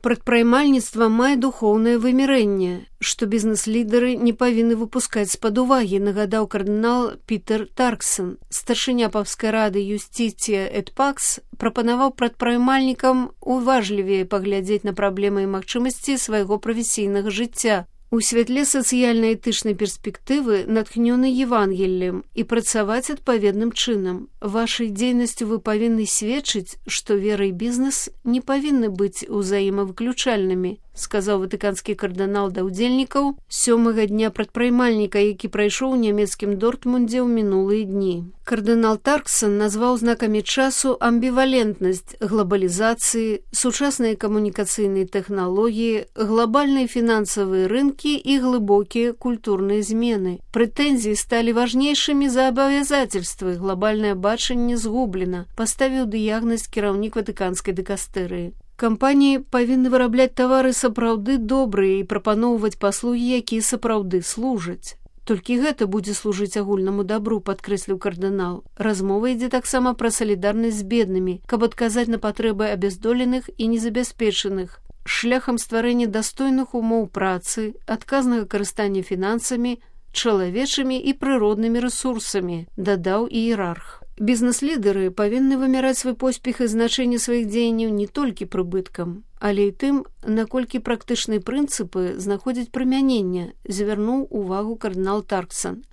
Прадпрымальніцтва мае духоўнае вымярэнне, што бізнес-лідары не павінны выпускаць з-пад увагі, нагадаў кардынал Пітер Тарксон. Старшыня папскай рады Юстиція эт Пакс прапанаваў прадпрымальнікам уважлівей паглядзець на праблемы і магчымасці свайго прафесійнага жыцця у святле сацыяльна-этычнай перспектывы, натхнёнай Евангеллем, і працаваць адпаведным чынам. Вашай дзейнасцю вы павінны сведчыць, што вера і бізнес не павінны быць узаемавыключальнымі, сказаў ватыканскі кардынал да ўдзельнікаў 7-га дня прадпрымальніка, які прайшоў у нямецкім Дортмундзе ў мінулыя дні. Кардынал Тарксон назваў знакамі часу амбівалентнасць глобалізацыі, сучасныя камунікацыйныя тэхналогіі, глобальныя фінансавыя рынкі і глыбокія культурныя змены. Прэтэнзіі сталі важнейшымі за абавязательствы, глобальнае бачанне згублена, паставіў дыягназ кіраўнік ватыканскай дыкастэрыі. Кампаніі павінны вырабляць тавары сапраўды добрыя і прапаноўваць паслугі, якія сапраўды служаць. Толькі гэта будзе служыць агульнаму дабру, падкрэсліў кардынал. Размова ідзе таксама пра салідарнасць з беднымі, каб адказаць на патрэбы абяздоленых і незабяспечаных, шляхам стварэння дастойных умоў працы, адказнага карыстання фінансамі, чалавечымі і прыроднымі рэсурсамі, дадаў іерарх. Бізнес-лідары павінны вымяраць свой поспех і значэнне сваіх дзеянняў не толькі прыбыткам, але і тым, наколькі практычныя прынцыпы знаходзяць прымяненне, звярнуў увагу кардынал Тарксон.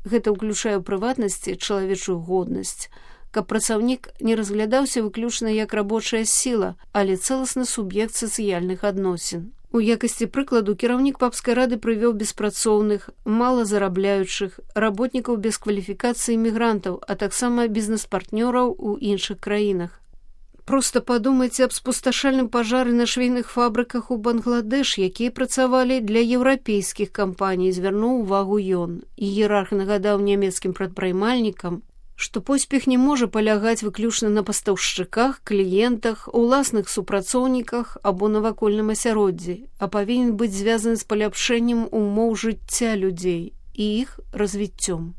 Гэта ўключае ў прыватнасці чалавечую годнасць, каб працаўнік не разглядаўся выключна як рабочая сіла, але цэласны суб'ект сацыяльных адносін. У якасці прыкладу кіраўнік папскай рады прывёў беспрацоўных, малазарабляючых, работнікаў без кваліфікацыі мігрантаў, а таксама бізнес-партнёраў у іншых краінах. Проста падумайце аб спусташальным пажары на швейных фабрыках у Бангладеш, якія працавалі для еўрапейскіх кампаній, звярнуў увагу ён. Іерарх нагадаў нямецкім прадпрымальнікам, што поспех не можа палягаць выключна на пастаўшчыках, кліентах, уласных супрацоўніках або навакольным асяроддзі, а павінен быць звязаны з паляпшэннем умоў жыцця людзей і іх развіццём.